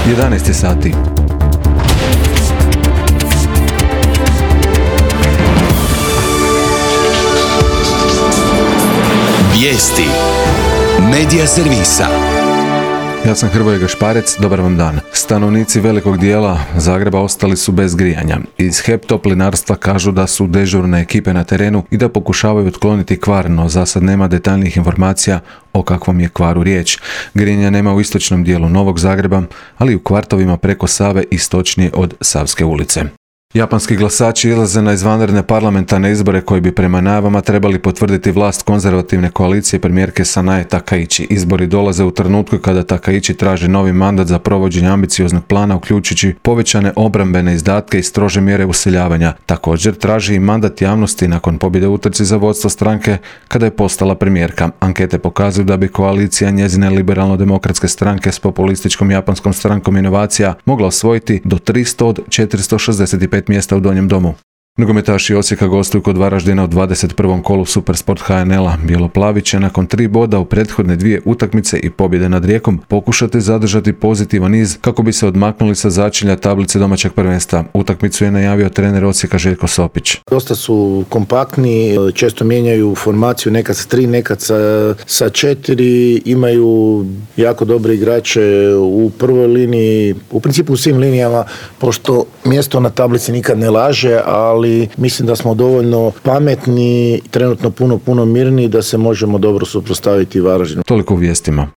11 sati. Vijesti Medija servisa. Ja sam Hrvoje Gašparec, dobar vam dan. Stanovnici velikog dijela Zagreba ostali su bez grijanja. Iz HEP Toplinarstva kažu da su dežurne ekipe na terenu i da pokušavaju otkloniti kvar, no za sad nema detaljnih informacija o kakvom je kvaru riječ. Grijanja nema u istočnom dijelu Novog Zagreba, ali i u kvartovima preko Save istočnije od Savske ulice. Japanski glasači izlaze na izvanredne parlamentarne izbore koji bi prema najavama trebali potvrditi vlast konzervativne koalicije premijerke Sanae Takaichi. Izbori dolaze u trenutku kada Takaichi traži novi mandat za provođenje ambicioznog plana, uključujući povećane obrambene izdatke i strože mjere useljavanja. Također traži i mandat javnosti nakon pobjede u utrci za vodstvo stranke kada je postala premijerka. Ankete pokazuju da bi koalicija njezine liberalno-demokratske stranke s populističkom japanskom strankom inovacija mogla osvojiti do 300 od 465 mjesta u Donjem domu. Nogometaši Osijeka gostuju kod Varaždina u 21. kolu Supersport HNL-a. Bijeloplavi će nakon 3 boda u prethodne 2 utakmice i pobjede nad Rijekom pokušati zadržati pozitivan niz kako bi se odmaknuli sa začelja tablice domaćeg prvenstva. Utakmicu je najavio trener Osijeka Željko Sopić. Dosta su kompaktni, često mijenjaju formaciju, nekad sa 3, nekad sa 4, imaju jako dobre igrače u prvoj liniji, u principu u svim linijama, pošto mjesto na tablici nikad ne laže, ali mislim da smo dovoljno pametni, trenutno puno mirniji da se možemo dobro suprotstaviti Varaždinu. Toliko u vijestima.